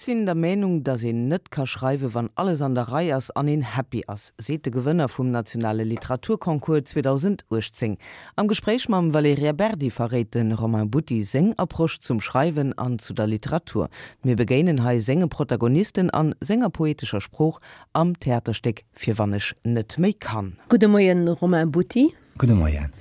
sinn der Meenung, datt een net ka schreiwen, wann alles an der Rei ass an een happy ass, seet de Gewënner vum nationale Literaturconcours 2018. Am Gespréich mam Valerija Berdi verréit de Romain Butti seng Approche zum Schreiwen an zu der Literatur. Mir begéinen hei senge Protagonisten an senger poetescher Sprooch am Theaterstéck Fir wann ech net méi kann. Gudde Moien Romain Butti. Gudde Moien.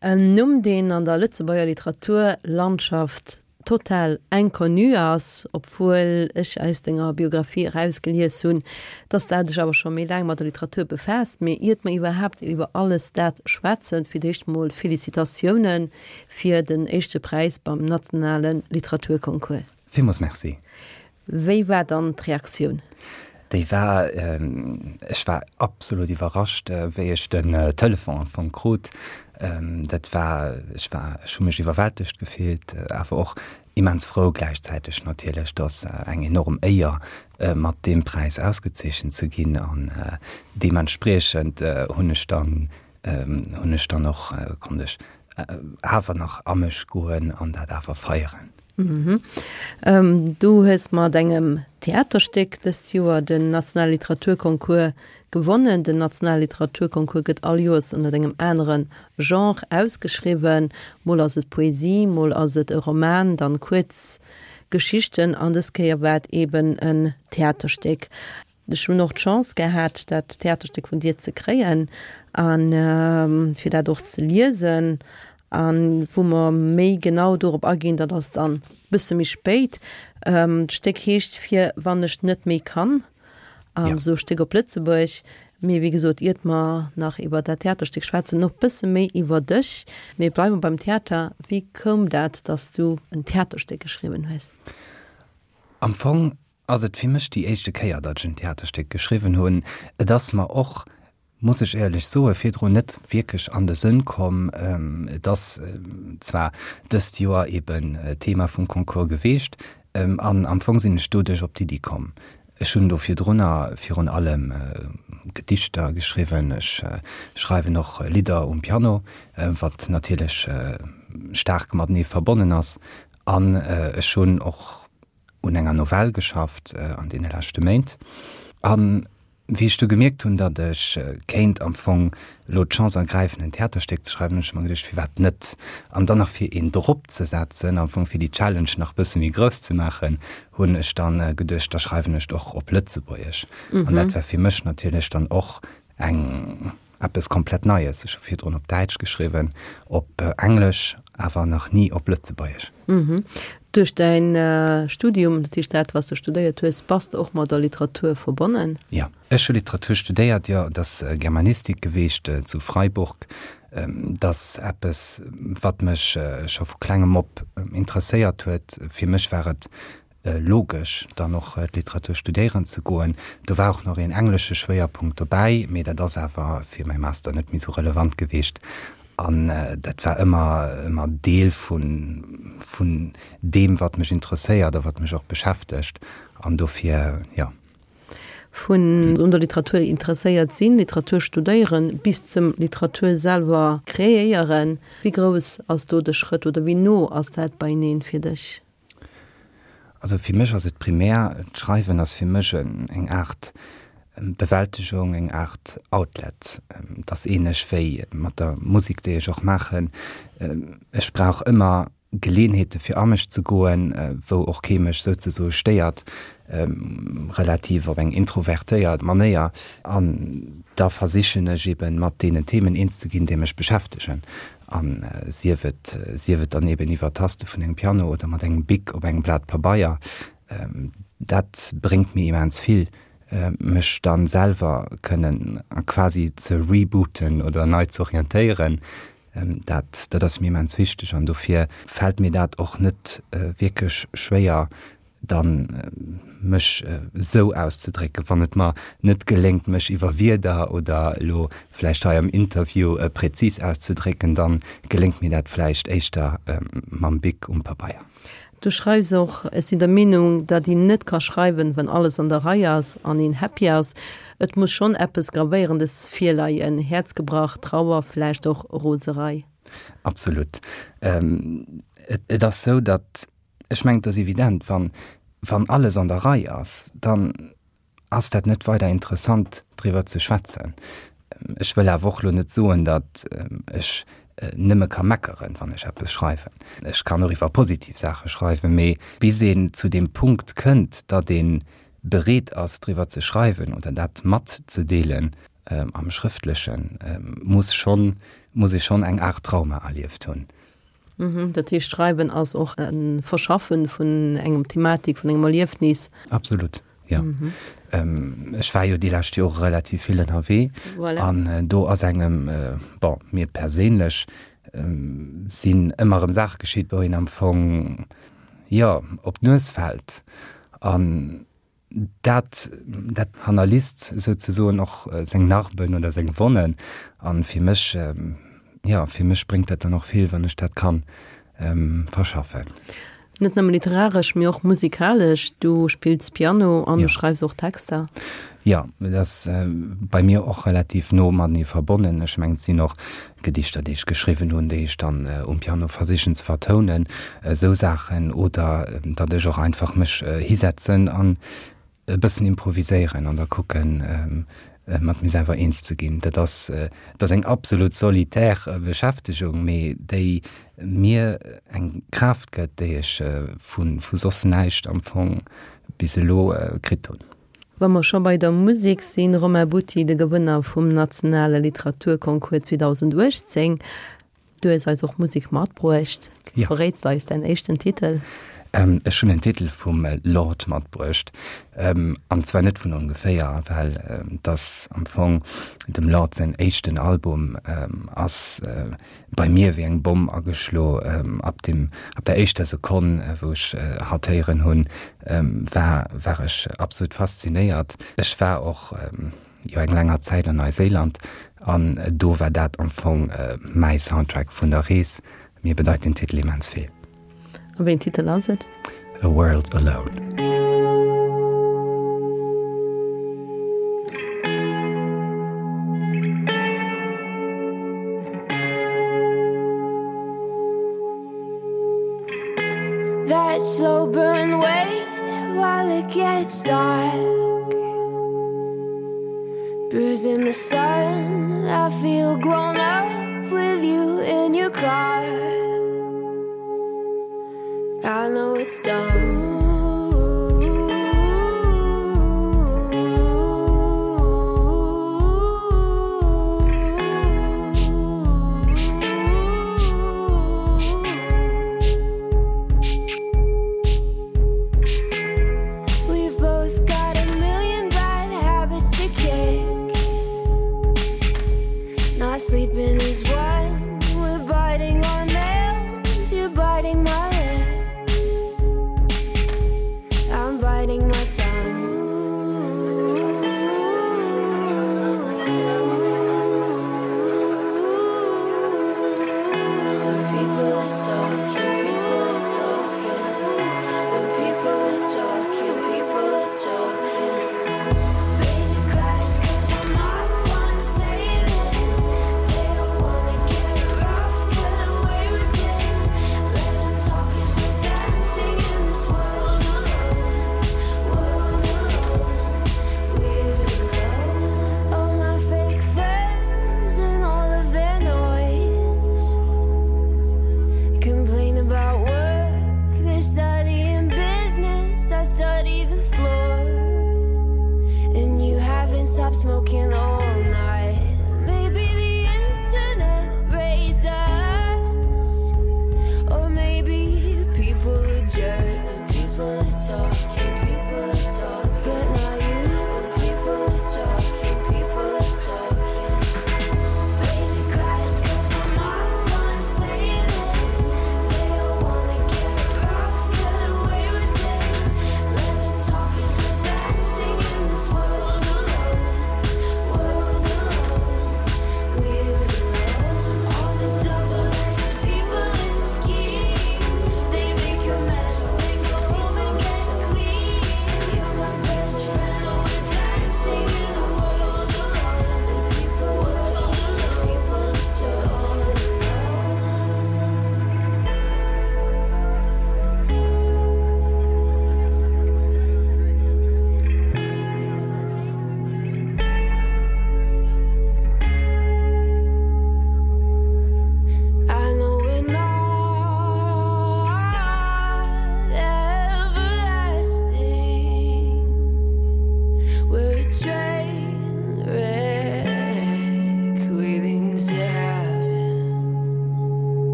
En Numm, deen an der Lëtzebuerger Literaturlandschaft total inconnu ass, obwuel ech aus denger Biographie erausgelies hunn, dass de dech awer scho méi laang mat der Literatur befaasst. Mee iert mer iwwerhaapt iwwer alles dat schwätzen, fir d'éischt mol Felicitatioune fir den éischte Präis beim nationale Literaturconcours. Villmools Merci. Wéi war dann d'Reaktioun? Déi war, ech war absolut iwwerrascht, wéi ech den Telefon am Fong krut. Dat war, ech war, ech hu mech iwwerwältegt gefillt, awer och immens frou gläichzäiteg natierlech. Et ass eng enorm Éier, mat deem Präis ausgezeechent ze ginn an deementspriechend hunn ech dann hunn ech dann och, konnt ech awer nach a mech goen an dat awer feieren. Du hues mat engem Theaterstéck dëst Joer den nationale Literaturconcours gewonnen. Den nationale Literaturconcours gëtt all Joers ënnert engem anere Genre ausgeschriwwen. Mol ass et Poesie, mol ass et e Roman, dann kuerz Geschichten an dës Kéier war et eben en Theaterstéck. Ech hunn och d'Chance gehat, dat Theaterstéck vun dir ze kréien a fir dat och ze liesen. A wou mer méi genau dorop aginn, dat ass dann e bësse méi spéit. D'Stéck heescht Fir wann ech net méi kann, also e Stéck op Lëtzebuerg. Mee wéi gesot, iert mer nach iwwer dat Theaterstéck schwätzen, och e bësse méi iwwer dech. Mee bleiwe mer beim Theater. Wéi koum dat, datt s du en Theaterstéck geschriwwen hues? Am Fong ass et fir mech déi éischte Kéier, datt ech en Theaterstéck geschriwwen hunn. Et ass mer och, muss ech éierlech soen, virdrun net wierklech an de Sënn komm. Et ass zwar dëst Joer eben Thema vum Concours geweecht an am Fong sinn ech doduerch op d'Iddi komm. Ech hunn do virdrunner virun allem Gedichter geschriwwen, ech schreiwen och Lidder um Piano, wat natierlech staark matenee verbonnen ass an ech hunn och un enger Novell geschafft an deene leschte Méint. An wéi ech du gemierkt hunn, datt ech kéint am Fong elo d'Chance ergräifen, en Theaterstéck ze schreiwen, hunn ech mer geduecht, firwat net? An dann nach fir een drop ze setzen, am Fong fir déi Challenge nach bësse méi grouss ze maachen, hunn ech dann geduecht, da schreiwen ech et och op Lëtzebuergesch. An dat war fir mech natierlech dann och eng Eppes komplett Neies. Ech hu virdrun op Däitsch geschriwwen, op Englesch, awer nach ni op Lëtzebuergesch. Duerch däin Studium, dat heescht dat, wat s de studéiert hues, bass de och mat der Literatur verbonnen? Jo, ech hu Literatur studéiert, jo. Et ass Germanistik geweecht zu Freiburg. Et ass eppes, wat mech scho vu klengem op interesséiert huet. Fir mech war et logesch, dann och d'Literatur studéieren ze goen. Do war och nach een englesche Schwéierpunkt dobäi, mee dat ass awer fir mäi Master net méi sou relevant geweecht. An dat war ëmmer, ëmmer Deel vun, vun deem, wat mech interesséiert a wat mech och beschäftegt. An dofir, jo. Vun un der Literatur interesséiert sinn, Literatur studéieren, bis zum Literatur selwer kreéieren, wéi grouss ass do de Schrëtt oder wéi no ass dat beieneen fir dech? Also fir mech ass et primär, d'Schreiwen ass fir mech eng Aart Bewältegung, eng Aart Outlet. Et ass ähnlech wéi mat der Musek, déi ech och maachen. Ech brauch ëmmer Geleeënheete fir a mech ze goen, wou och kee mech souzesoe stéiert, relativ op eng introvertéiert Manéier. An da versichen ech eben mat deenen Themen eens ze ginn, déi mech beschäftegen. An sief et, sief et dann eben iwwer d'Taste vun engem Piano oder mat engem Bic op engem Blat Pabeier, dat bréngt mir immens vill, mech dann selwer kënnen quasi ze rebooten oder nei ze orientéieren. Dat, dat ass mir immens wichteg an dofir fält mir dat och net wierklech schwéier, dann mech esou auszedrécken, wann et mer net geléngt, mech iwwer Wierder oder elo vläicht hei am Interview präzis auszedrécken, dann geléngt mir dat vläicht éischter mam Bic um Pabeier. Du schreifs och, Ech sinn der Meenung, datt een net ka schreiwen, wann alles an der Rei ass an een happy ass. Et muss schonn eppes Gravéierendes virleien, Häerzgebrach, Trauer, vläicht och Roserei. Absolut. Et ass esou, datt Ech mengen, et ass evident, wann. Wann alles an der Rei ass, dann ass dat net weider interessant driwwer ze schwätzen. Ech wëll awer och elo net soen, datt ech nëmme ka meckeren, wann ech eppes schreiwen. Ech kann och iwwer positiv Saache schreiwen, mee bis een zu deem Punkt kënnt, datt ee bereet ass driwwer ze schreiwen oder dat matzedeelen am Schrëftlechen, muss schonn, muss ee schonn eng Aart Trauma erlieft hunn. Dat heescht, Schreiwen ass och e Verschaffen vun engem Thematik, vun engem Erliefnis. Absolut, jo. Ech war jo déi lescht Jore relativ vill ënnerwee. Voilà. An do ass engem, bon, mir perséinlech sinn ëmmer erëm Saache geschitt, wou een am Fong, jo, op d'Nues fält. An dat, dat hannerlisst souzesoen och seng Narben oder seng Wonnen. An fir mech, jo, fir mech bréngt dat dann och vill, wann ech dat kann verschaffen. Net nëmme literaresch, mee och musikalesch. Du spills Piano an du schreifs och Texter. Jo, dat ass bei mir och relativ no matenee verbonnen. Ech mengen, et sinn och Gedichter, déi ech geschriwwen hunn, déi ech dann um Piano versichen ze vertounen, esou Saachen, oder datt ech och einfach mech hisetzen an e bëssen improviséieren an da kucken, mat mir selwer eens ze ginn. Dat ass, dat ass eng absolut solitär Beschäftegung, mee déi mir eng Kraaft gëtt, déi ech vu vu soss näischt am Fong bis elo kritt hunn. Wa mer scho bei der Musek sinn, Romain Butti, de Gewënner vum nationale Literaturconcours 2018, du hues eis och Musek matbruecht. Jo. Verréits de eis däin éischten Titel? Ech hunn en Titel vum Lorde matbruecht. An zwar net vun ongeféier, well et ass am Fong dem Lorde säin éischten Album ass bei mir wéi eng Bomm ageschlo. Ab dem, ab der éischter Sekonn, wou ech hatt héieren hunn, war, war ech absolut faszinéiert. Ech war och jo eng länger Zäit an Neuséiland an do war dat am Fong mäi Soundtrack vun der Rees. Mir bedeit den Titel immens vill. A wéi en Titel ass et? A World Alone. That slow burn wait while it gets dark Bruising the sun, I feel grown up with you in your car I know it's dumb. We've both got a million bad habits to kick. Not sleeping is one. We're biting our nails. You're biting my lip.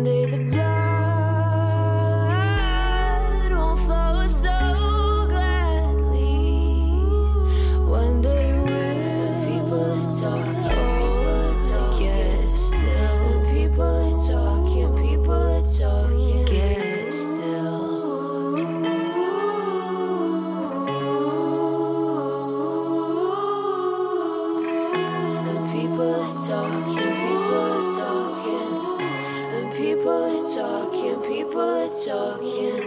One day the blood won't flow so gladly. One day we'll people are talking, people are talking. Get still. The people are talking, people are talking. Get still. And people are talking, people are talking. And people are talking, people are talking.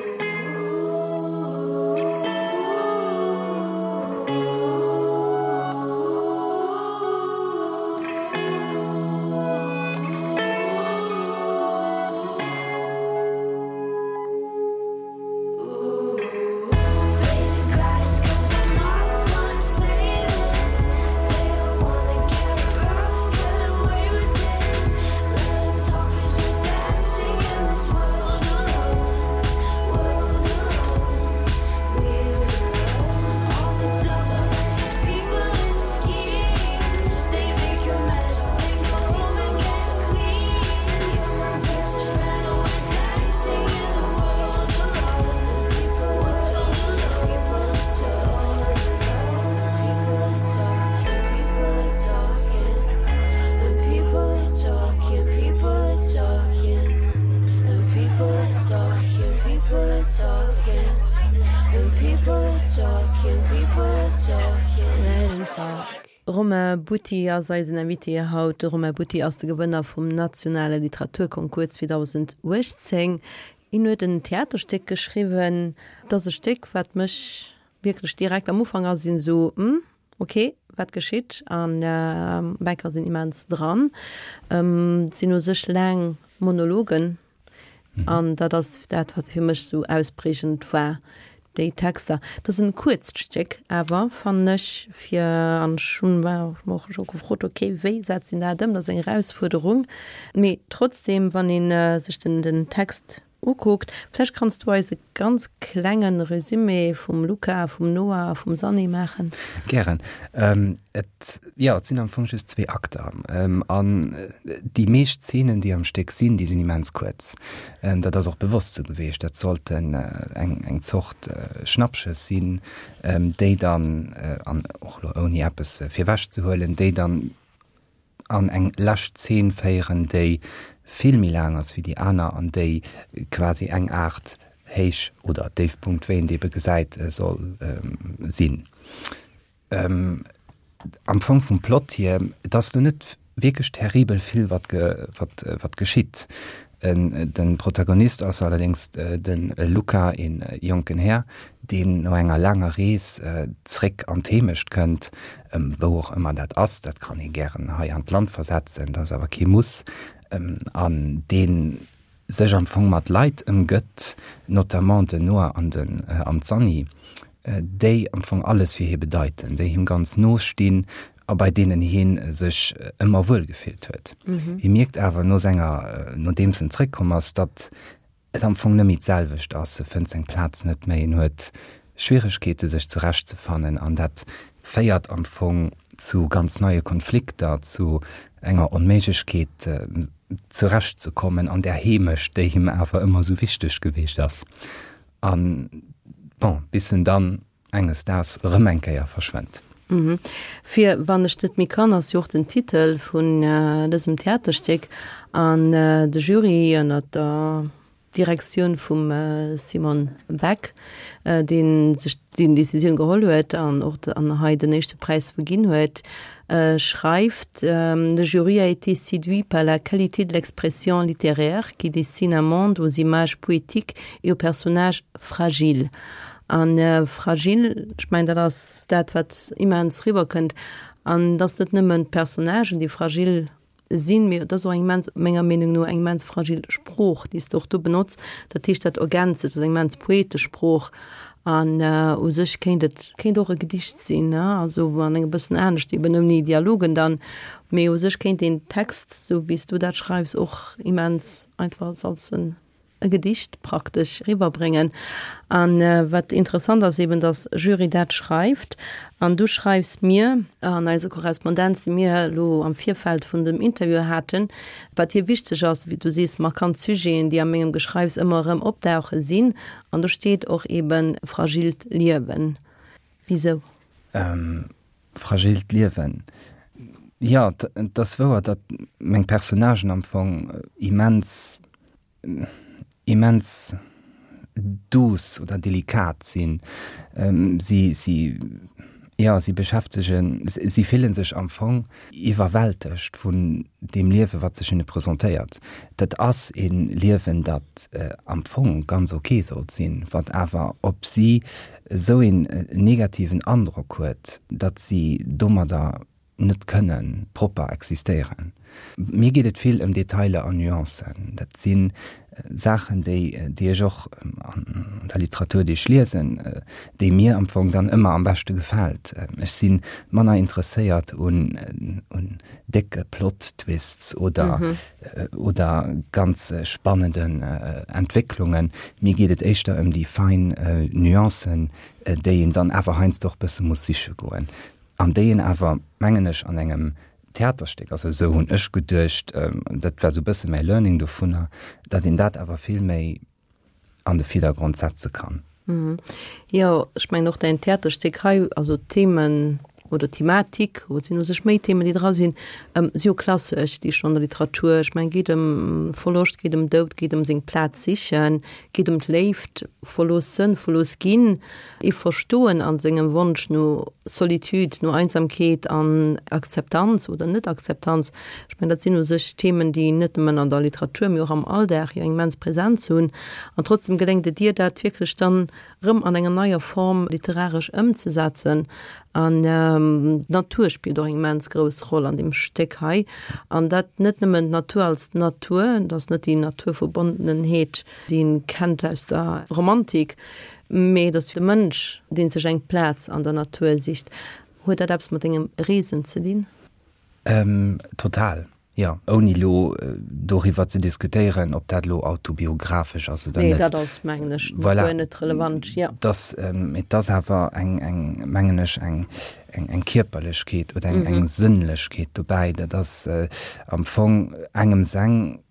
Romain Butti ass eisen Invité haut. De Romain Butti ass de Gewënner vum nationale Literaturconcours 2018. Hien huet en Theaterstéck geschriwwen. Et ass e Stéck, wat mech wierklech direkt am Ufank ass een esou, Hm, ok, wat geschitt? An Bänker sinn immens dran. Et sinn u sech laang Monologen an dat ass dat, wat fir mech esou ausprägend war, déi Texter. Et ass en kuerzt Stéck awer, fannen ech, fir, an ech hunn mer och scho gefrot, ok, wéi setzt een dat ëm? Dat ass eng Erausfuerderung. Mee trotzdem, wann ee sech den den Text ukuckt, vläicht kanns du eis e ganz klenge Resumé vum Luca, vum Noah a vum Sanni maachen. Gären. Et, jo, et sinn am Fong just zwee Akter. An déi meescht Zeenen, déi am Stéck sinn, déi sinn immens kuerz. Dat ass och bewosst sou geweecht. Dat sollten eng, eng Zort Schnappschëss sinn, déi dann, an och elo ouni eppes virwech ze huelen, déi dann an eng lescht Zeen féieren, déi vill méi laang ass wéi déi aner an déi quasi eng Aart Héich oder Déifpunkt, wéi een et ebe gesäit, soll sinn. Am Fong vum Plot hier, et ass lo net wierklech terribel vill wat wat geschitt. De Protagonist ass allerdéngs de Luca, ee jonken Här, deen no enger laanger Rees zréck an d'Heemecht kënnt, wou och ëmmer dat ass, dat kann ee gären hei an d'Land versetzen, dat ass awer kee Muss, an dee sech am Fong mat Leit ëmgëtt, notamment den Noah an den an d'Sanni, déi am Fong alles fir hie bedeiten, déi him ganz no stinn a bei deenen hie sech ëmmer wuel gefillt huet. Hie mierkt awer no senger, nodeems en zréckkomm ass, datt et am Fong net méi d'selwecht ass, e fënnt seng Plaz net méi, en huet Schwieregkeete sech zurechtzefannen an dat féiert am Fong zu ganz neie Konflikter, zu enger Onméiglechkeet zurechtzekommen an där Heemecht, déi him awer ëmmer esou wichteg geweecht ass. An bon, bis en dann enges Daags erëm eng Kéier verschwënnt. Fir Wann ech net méi kann ass jo och den Titel vun dësem Theaterstéck an de Jury ënnert der Direktioun vum Simon Beck, dee sech déi Decisioun geholl huet an och an hei den éischte Präis verginn huet, schreift, Le jury a été séduit par la qualité de l'expression littéraire qui dessine un monde aux images poétiques et aux personnages fragiles. An fragil, ech mengen, dat ass dat, wat immens riwwerkënnt. An et ass net nëmmen d'Personnagen, déi fragil sinn, mee et ass och eng immens, menger Meenung no, eng immens fragil Sprooch, déi s de och do benotz. Dat heescht, dat ergänzt sech, dat ass eng immens poetesch Sprooch. An u sech kéint et, kéint och e Gedicht sinn, ne, also an engem bëssen anescht, eben ouni Dialogen dann. Mee u sech kéint deen Text, sou wéi s du dat schreifs, och immens einfach als en. E Gedicht praktesch eriwwerbréngen. An wat interessant ass eben, dass Jury dat schreift an du schreifs mir an eiser Korrespondenz, déi mir elo am Virfeld vun dem Interview haten, wat dir wichteg ass, wéi du sees, markant Sujeten, déi a mengem Geschreifs ëmmer erëm opdauche sinn. An do steet och eben fragilt Liewen. Wisou? Fragilt Liewen, jo, et ass wouer, datt meng Personnagen am Fong immens immens douce oder delikat sinn. Si, si, jo, si beschäftegen, si fillen sech am Fong iwwerwältegt vun deem Liewe wat sech hinne presentéiert. Dat ass e Liewen, dat am Fong ganz ok sollt sinn, wat awer op si esou een negativen Androck huet, datt si domadder net kënne propper existéieren. Mir geet et vill ëm Detailer an Nuancen. Dat si Saachen, déi, déi ech och an der Literatur, déi ech liesen, déi mir am Fong dann ëmmer am beschte gefält. Ech si manner interesséiert un, un décke Plot-Twists oder, oder ganz spannenden Entwécklungen. Mir geet et éischter ëm déi fein Nuancen, déi een dann awer heiansdo och bësse muss siche goen. An déi een awer, mengen ech, an engem Theaterstéck, also esou hunn ech geduecht, dat war esou e bësse mäi Learning dovunner, datt een dat awer vill méi an de Virdergrond setze kann. Jo, ech mengen och däin Theaterstéck hei, also d'Themen oder d'Thematik, et sinn u sech méi Themen, déi dra sinn, si jo klassesch, déi schonn an der Literatur, ech mengen, geet ëm Verloscht, geet ëm Doud, geet ëm seng Plaz sichen, geet ëm d'Léift, verloossen, verlooss ginn. Ee Verstoen an sengem Wonsch no Solitude, no Einsamkeet an Akzeptanz oder Net-Akzeptanz. Ech mengen, dat sinn u sech Themen, déi net nëmmen an der Literatur, mee och am Alldag jo eng immens Präsenz hunn. An trotzdem geléngt et dir, dat wierklech dann erëm an enger neier Form literaresch ëmzesetzen. An d'Natur spillt och eng immens grouss Roll an deem Stéck hei. An dat net nëmmen d'Natur als Natur, et ass net déi Naturverbondenheet, déi een kennt aus der Romantik, Mee et ass de Mënsch, dee sech eng Plaz an der Natur sicht. Huet dat eppes mat dengem Reesen ze dinn? Total, jo. Ouni elo doriwwer ze diskutéieren, ob dat elo autobiographesch ass oder net. Nee, dat ass, mengen ech, guer net relevant, jo. Dass, mee et ass awer eng, eng, mengen ech, eng, eng Kierperlechkeet oder eng, eng Sënnlechkeet dobäi. Dat ass am Fong engem seng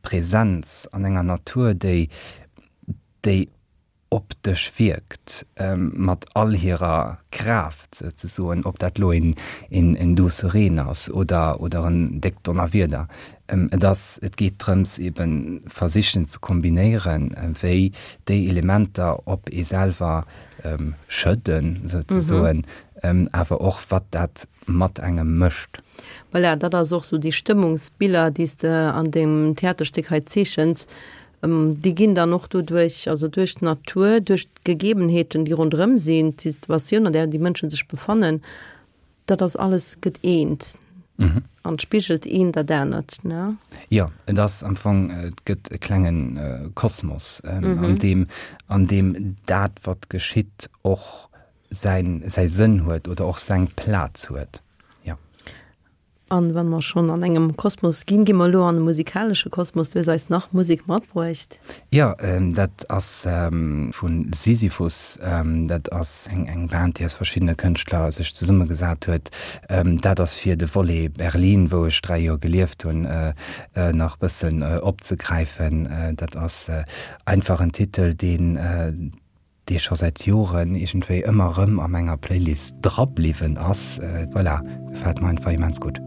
Präsenz an enger Natur, déi, déi op dech wierkt, mat all hirer Kraaft souzesoen, ob dat elo een, een douce Reen ass oder, oder en déckt Donnerwieder. Et ass, et geet drëms eben versichen ze kombinéieren, wéi déi Elementer op ee selwer schëdden souzesoen, awer och wat dat mat engem mécht. Voilà, dat ass och sou déi Stëmmungsbiller, déi s de an deem Theaterstéck hei zeechens, déi ginn dann och doduerch, also duerch d'Natur, duerch d'Gegebenheeten, déi ronderëm sinn, d'Situatioun, an där déi Mënsche sech befannen, dat ass alles gëtt eent an spigelt eent dat anert, ne? Jo, et ass am Fong, et gëtt e klenge Kosmos, an deem, an deem dat, wat geschitt, och säin, säi Sënn huet oder och seng Plaz huet, jo. An wa mer schonn an engem Kosmos ginn, gi mer elo an e musikalesche Kosmos. Du hues eis nach Musek matbruecht. Jo, dat ass vu Sisyphus. Dat ass eng eng Band, déi aus verschiddene Kënschtler sech zesummegesat huet. Dat ass fir de Volet Berlin, wou ech 3 Joer gelieft hunn, nach bëssen opzegräifen. Dat ass einfach en Titel, deen, dee scho säit Joren iergendwéi ëmmer erëm a menger Playlist dra bliwwen ass. Voilà, gefält mer einfach immens gutt.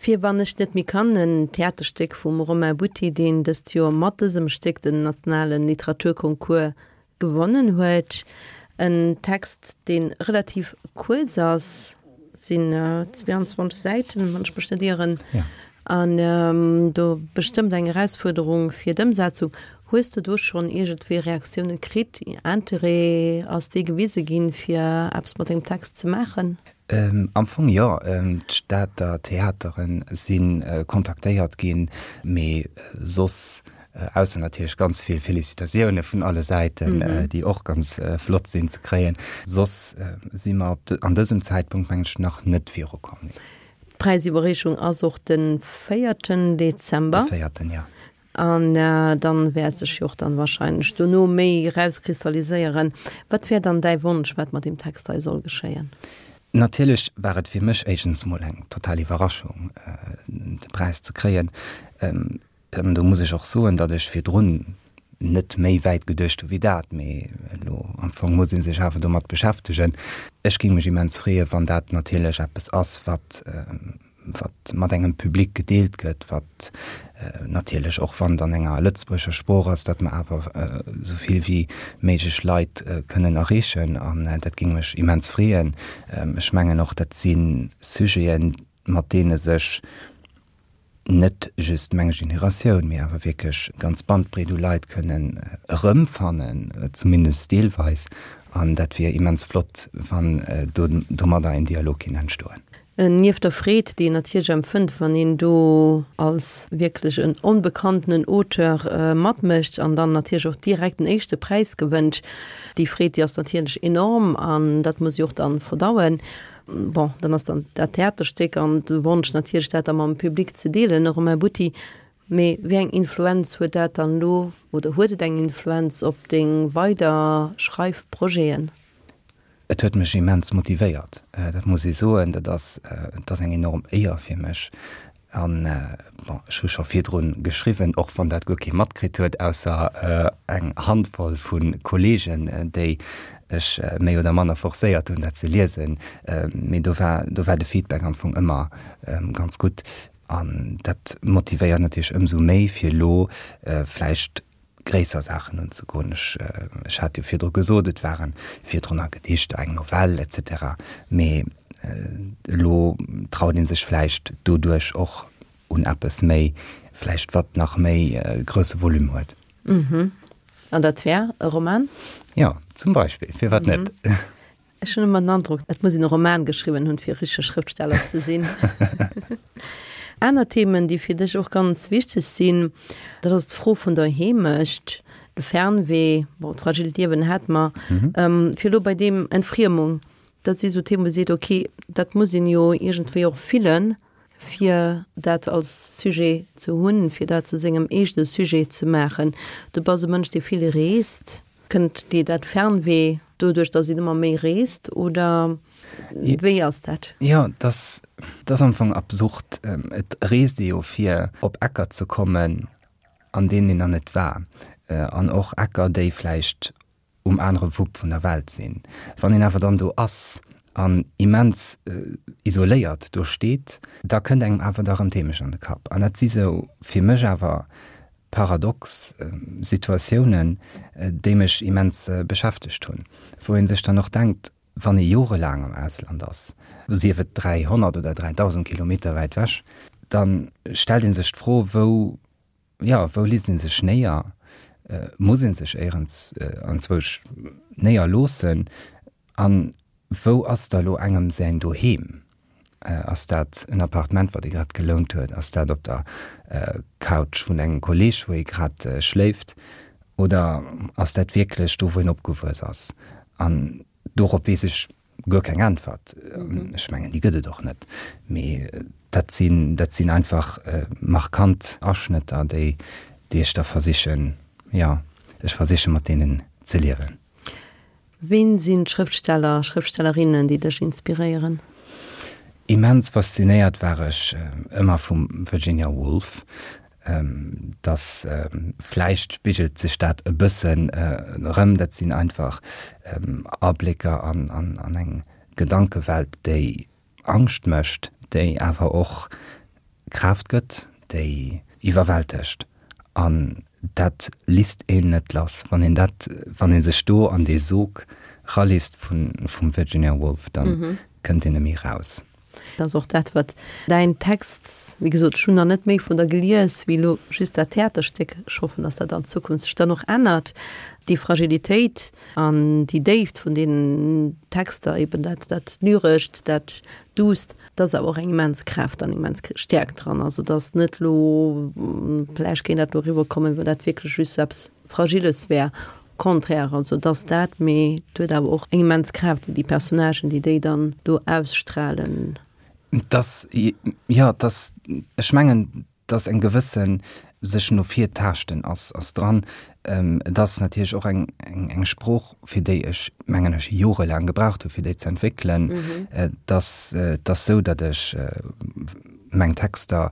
Fir wann ech net méi kann, en Theaterstéck vum Romain Butti, deen dëst Joer mat dësem Stéck den nationale Literaturconcours gewonnen huet. En Text, dee relativ kuerz ass, et sinn 22 Säiten, wann ech mech net ieren, an do bestëmmt eng Erausfuerderung fir d'Ëmsetzung. Hues de do schonn iergendwéi Reaktioune kritt, Interêt, ass dee gewise ginn, fir eppes mat dengem Text ze maachen? Am Fong jo. D'Stater Theateren si kontaktéiert ginn, mee soss, ausser natierlech ganz vill Felicitatioune vun alle Säiten, déi och ganz flott sinn ze kréien, soss si mer an dësem Zäitpunkt, mengen ech, nach net virukomm. D'Präisiwwerreechung ass och de véierten Dezember. De véierten, jo. An dann wäert sech jo och dann wahrscheinlech dono méi erauskristalliséieren. Wat wär dann däi Wonsch, wat mat deem Text hei soll geschéien? Natierlech war et fir mech éischtens mol eng total Iwwerraschung, de Präis ze kréien. An do muss ech och soen, datt ech virdrun net méi wäit geduecht hu wéi dat. Mee elo am Fong muss ee sech awer domat beschäftegen. Ech géing mech immens freeën, wann dat natierlech eppes ass, wat wat mat engem Public gedeelt gëtt, wat natierlech och wann et an enger lëtzebuergescher Sprooch ass, datt mer awer esou vill wéi méiglech Leit kënnen erreechen. An dat géing mech immens freeën. Ech mengen och, dat si Sujeten, mat deene sech net just meng Generatioun, mee awer wierklech d'ganz Bandbreet u Leit kënnen erëmfannen, zumindest deelweis. An dat wier immens flott, wann domadder en Dialog kinnt entstoen. Nieft der Freed, déi een natierlech empfënnt, wann een do als wierklech en onbekanntenen Auteur matmécht an dann natierlech och direkt den éischte Präis gewënnt, déi Freed, déi ass natierlech enorm an dat muss ee och dann verdauen. Bon, dann ass dann dat Theaterstéck an de Wonsch natierlech, dat da mam Public ze deelen. Romain Butti, Mee wéi eng Influenz huet dat dann elo oder huet et eng Influenz op deng weider Schreifprojeten? Et huet mech immens motivéiert, dat muss ee soen. Dat ass, dat ass eng enorm Éier fir mech. An, bon, ech hu scho virdru geschriwwen, och wann dat guer kee matkritt huet, ausser eng Handvoll vu Kolleegen, déi ech méi oder manner forcéiert hunn, dat ze liesen. Mee do war, do war de Feedback am Fong ëmmer ganz gutt. An dat motivéiert natierlech ëmsou méi, fir elo vläicht gréisser Saachen unzegoen. Ech, ech hat jo virdru gesot, et ware virdrun nach Gedichter, eng Novell et cetera, mee elo traut ee sech vläicht doduerch och un eppes méi, vläicht wat nach méi grousse Volume huet. Mhm. An dat wär e Roman? Jo, zum Beispill, firwat net? Ech hunn ëmmer den Androck, et muss een e Roman geschriwwen hunn, fir e richtege Schrëftsteller ze sinn. Aner Themen, déi fir dech och ganz wichteg sinn, dat ass d'Fro vun der Heemecht, de Fernweh, bon, d'fragilt Liewen hate mer. Fir elo bei deem Entfriemung, dat si sou Themen, wou ee seet, okay, dat muss een jo iergendwéi och fillen, fir dat als Sujet ze hunn, fir dat zu sengem eegene Sujet ze maachen. Du bass e Mënsch, dee vill reest. Kënnt dir dat Fernweh doduerch, datt een ëmmer méi reest oder wéi ass dat? Jo, dat ass am Fong absurd. Et reest ee jo fir op Ecker ze kommen, an deenen een nach net war. An och Ecker, déi vläicht um anere Wupp vun der Welt sinn. Wann een awer dann do ass an immens isoléiert do steet, da kënnt engem awer da rëm d'Heemecht an de Kapp. An dat si sou fir mech awer paradox Situatiounen, déi mech immens beschäftegt hunn, wou ee sech dann och denkt, wann ee jorelaang am Ausland ass, sief et 300 oder 3.000 Kilometer wäit wech, da stellt ee sech d'Fro, wou Jo, wou liest een sech néier? Muss een sech éierens anzwousch néier loossen? An wou ass da lo engem säin Doheem? Ass dat en Appartement, wat ee grad gelount huet? Ass dat op der Couch vun engem Kolleg, wou ee grad schléift? Oder ass dat wierklech do, wou een opgewuess ass? An dorop weess ech guer keng Äntwert. Ech mengen, déi gëtt et och net. Mee dat sinn, dat sinn einfach markant Aschnëtter, déi, déi ech da versichen, jo, ech versiche mat deenen ze liewen. Ween sinn d'Schrëftsteller, Schrëftstellerinnen, déi dech inspiréieren? Immens faszinéiert war ech ëmmer vum Virginia Woolf. Dass vläicht spigelt sech dat e bëssen erëm. Dat sinn einfach Ablécker an eng Gedankewelt, déi Angscht mécht, déi awer och. Kraaft gëtt, déi iwwerwältegt. An dat lisst een net lass. Wann een dat, wann ee sech do an dee Sog ralisst vun, vum Virginia Woolf, da kënnt een net méi raus. Dat ass och dat, wat däin Text, wéi gesot, ech hunn nach net méi vun der gelies wéi elo just dat Theaterstéck, ech hoffen, dass dat an Zukunft sech dann och ännert, déi Fragilitéit an déi Déift vun deenen Texter, eben dat, dat Lyrescht, dat Duusst, Da ass awer och eng immens Kraaft an immens Stäerkt dran. Also et ass net elo, vläicht kéint dat elo eriwwerkommen, wéi wann dat wierklech just sou eppes Fragiles wär. Au contraire, also et ass dat, mee et huet awer och eng immens Kraaft, déi déi Personnagen, déi déi dann do ausstrahlen. Et ass, jo, et ass, ech mengen, dass eng gewësse sech no vir taaschten ass, ass dran. Et ass natierlech och eng, eng, eng Sprooch, fir déi ech, mengen ech, jorelaang gebraucht hu fir déi ze entwéckelen. Et ass, et ass sou, datt ech meng Texter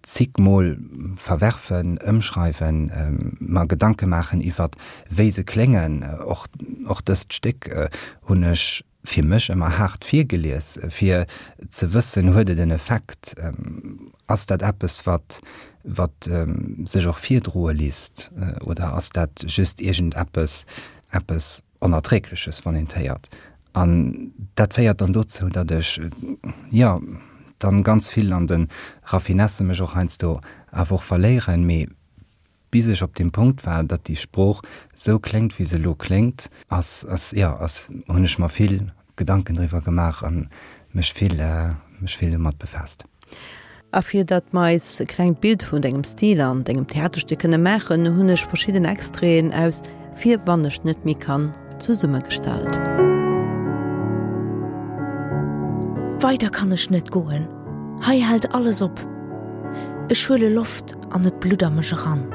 zig Mol verwerfen, ëmschreiwen, mer Gedanke maachen iwwert wéi se kléngen. Och, och dëst Stéck hunn ech fir mech ëmmer haart virgelies, fir ze wëssen, huet et en Effekt, ass dat eppes, wat, wat sech och virdroe lisst, oder ass dat just iergendeppes, eppes Onerträgleches, wann een et héiert. An dat féiert dann dozou, datt ech, jo, dann ganz vill an de Raffinesse mech och heiansdo awer och verléieren, mee Bis ech op deem Punkt war, datt déi Sprooch sou kléngt, wéi se elo kléngt, ass, ass, jo, ass, hunn ech mer vill Gedanken driwwer gemaach a mech vill, mech vill domat befaasst. A fir datt mer eis e klengt Bild vun dengem Stil an dengem Theaterstéck kënne maachen, hunn ech verschidden Extraiten aus Fir wann ech net méi kann zesummegestallt. Weider kann ech net goen, hei hält alles op. Ech huele Loft an et blutt a mech eran.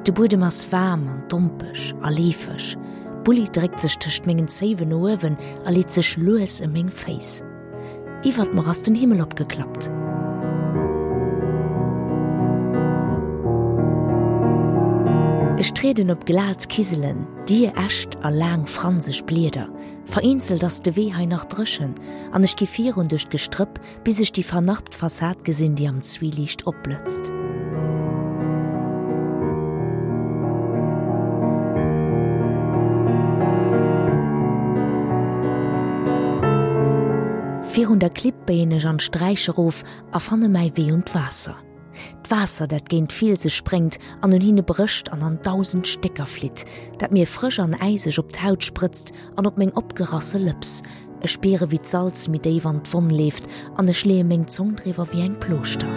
De Buedem ass waarm an dompeg a leefeg. D'Bulli dréckt sech tëscht mengen Zéiwen no uewen a leet sech lues ëm meng Féiss. Iwwert mer ass den Himmel opgeklappt. Ech trieden op glat Kiselen, dier Äscht a laang franseg Blieder. Vereenzelt ass de Wee hei nach dréchen an ech gi virun duerch d'Gestrëpp, bis ech déi vernarbt Fassad gesinn, déi am Zwieliicht opblëtzt. Virun der Klipp béien ech an d'Sträich erof a fanne mäi Wee un d'Waasser. D'Waasser, dat géint d'Fielse spréngt an un hinne brécht an an dausend Stécker flitt, dat mir frësch an äiseg op d'Haut sprëtzt an op meng opgerasse Lëps. Ech spiere wéi d'Salz méi déif an d'Wonn leeft an ech leeë meng Zong driwwer wéi eng Plooschter.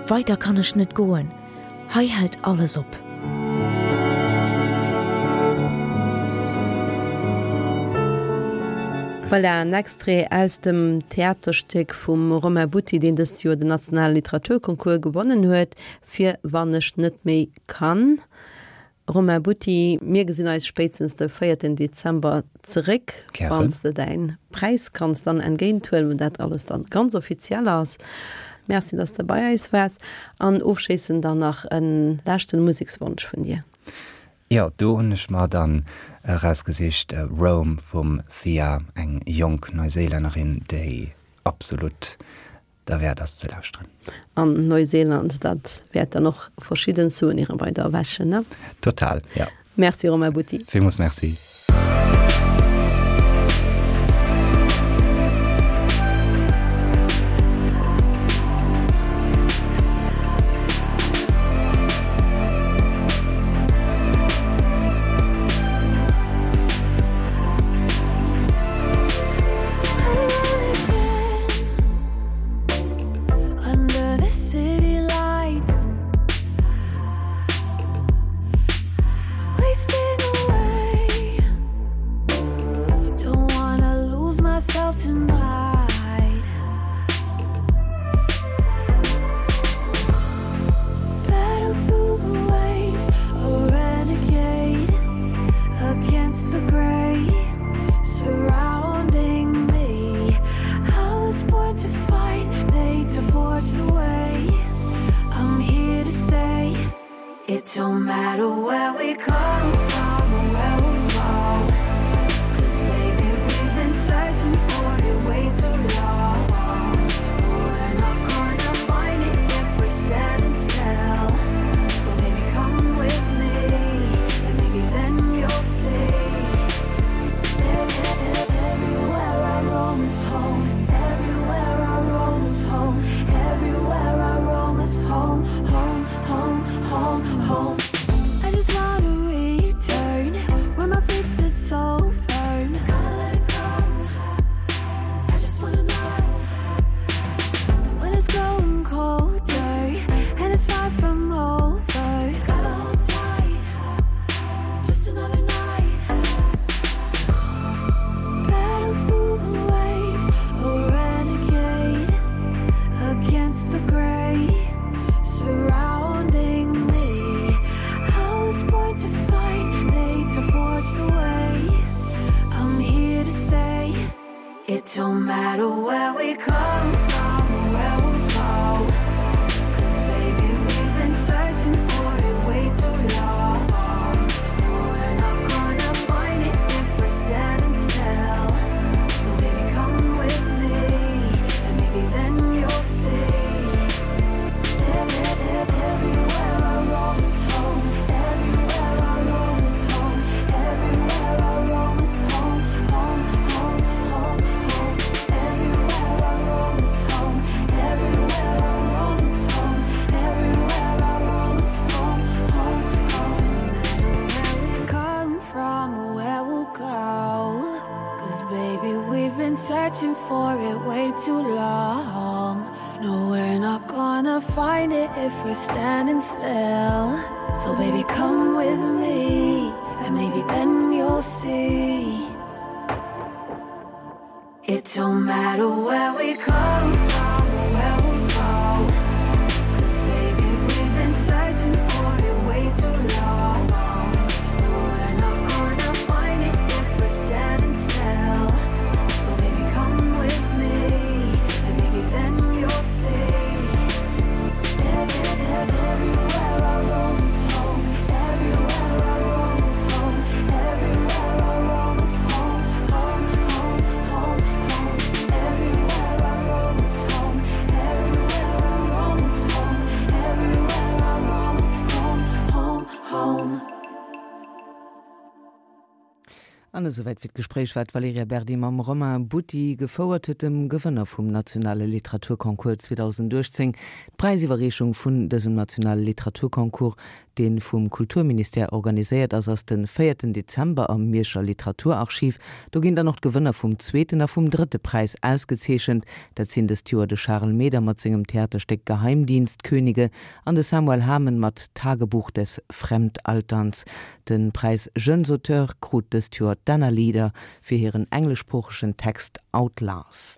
Weider kann ech net goen, hei hält alles op. Voilà, en Extrait aus dem Theaterstéck vum Romain Butti, deen dëst Joer den nationale Literaturconcours gewonnen huet, Fir wann ech net méi kann. Romain Butti, mir gesinn eis spéitstens de véierten Dezember zeréck, wann s de däin Präis kanns dann entgéint huelen, wou dat alles dann ganz offiziell ass. Merci, dass de bei eis waars. An ofschléissend dann nach e leschten Musekswonsch vun dir. Jo, do hunn ech mer dann erausgesicht Roam vum Thea, eng jonk Neuséilännerin, déi absolut derwäert ass ze lauschteren. An Neuseeland, dat wäert dann och verschidden Souveniren bei der erwächen, ne? Total, jo. Merci Romain Butti. Villmools Merci. It don't matter where we come from or where we'll go Cause baby we've been searching for it way too long But we're not gonna find it if we're standing still So baby come with me and maybe then you'll see Everywhere I roam is home Everywhere I roam is home Everywhere I roam is home home home home home I just wanna return where my feet stood so firm Gotta let it go I just wanna know When it's growing colder and it's far from over Gotta hold tight just another night Battle through the waves a renegade against the gray surrounding me I was born to fight made to forge the way I'm here to stay It don't matter where we come from or where we'll go Cause baby we've been searching for it way too long No we're not gonna find it if we're standing still So baby come with me and maybe then you'll see Everywhere I roam is home Everywhere I roam is home Everywhere I roam is home home home home home Everywhere I roam is home Everywhere I roam is home Everywhere I roam is home home home Where we come from where we'll go Cause baby we've been searching for it way too long No we're not gonna find it if we're standing still So baby come with me and maybe then you'll see It don't matter where we come from or where we'll go Cause baby we've been searching for it way too long No we're not gonna find it if we're standing still So baby come with me and maybe then you'll see Everywhere I roam is home Everywhere I roam is home Everywhere I roam is home home home home home Everywhere I roam is home Everywhere I roam is home Everywhere I roam is home home home. An esouwäit fir d'Gespréich, wat d'Valerija Berdi mam Romain Butti gefouert huet, dem Gewënner vum nationale Literaturconcours 2018. D'Präisiwwerreechung vun dësem nationale Literaturconcours, dee vum Kulturministère organiséiert ass, ass de véierten Dezember am Mierscher Literaturarchiv. Do ginn dann och d'Gewënner vum zweeten a vum drëtte Präis ausgezeechent. Dat sinn dëst Joer de Charel Meder mat sengem Theaterstéck Geheimdienstkönige an de Samuel Hamen mat Tagebuch des Fremdalterns. De Präis Jeunes Auteurs krut dëst Joer d'Anna Leader fir hiren engleschsproochegen Text Outlast.